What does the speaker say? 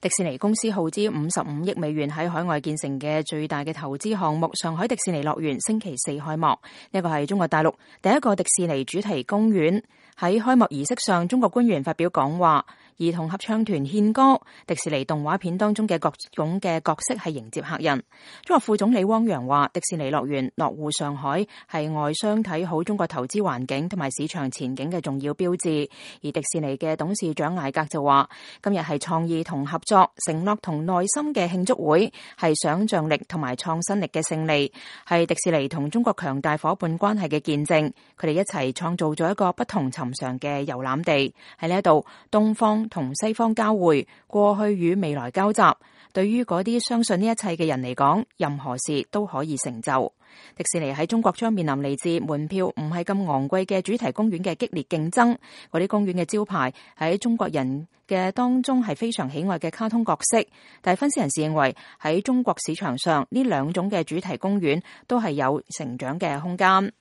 迪士尼公司耗資55億美元喺海外建成嘅最大嘅投資項目上海迪士尼樂園星期四開幕。呢個係中國大陸第一個迪士尼主題公園。喺開幕儀式上，中國官員發表講話，兒童合唱團獻歌，迪士尼動畫片當中嘅各種嘅角色係迎接客人。中國副總理汪洋話，迪士尼樂園落戶上海係外商睇好中國投資環境同埋市場前景嘅重要標誌。而迪士尼嘅董事長艾格就話，今日係創意同合作、承諾同耐心嘅慶祝會，係想象力同埋創新力嘅勝利，係迪士尼同中國強大伙伴關係嘅見證。佢哋一齊創造咗一個不同尋常嘅遊覽地，喺呢一度，東方同西方交匯，過去與未來交集。對於嗰啲相信呢一切嘅人嚟講，任何事都可以成就。迪士尼喺中國將面臨嚟自門票唔係咁昂貴嘅主題公園嘅激烈競爭。嗰啲公園嘅招牌喺中國人嘅當中係非常喜愛嘅卡通角色，但係分析人士認為喺中國市場上呢兩種嘅主題公園都係有成長嘅空間。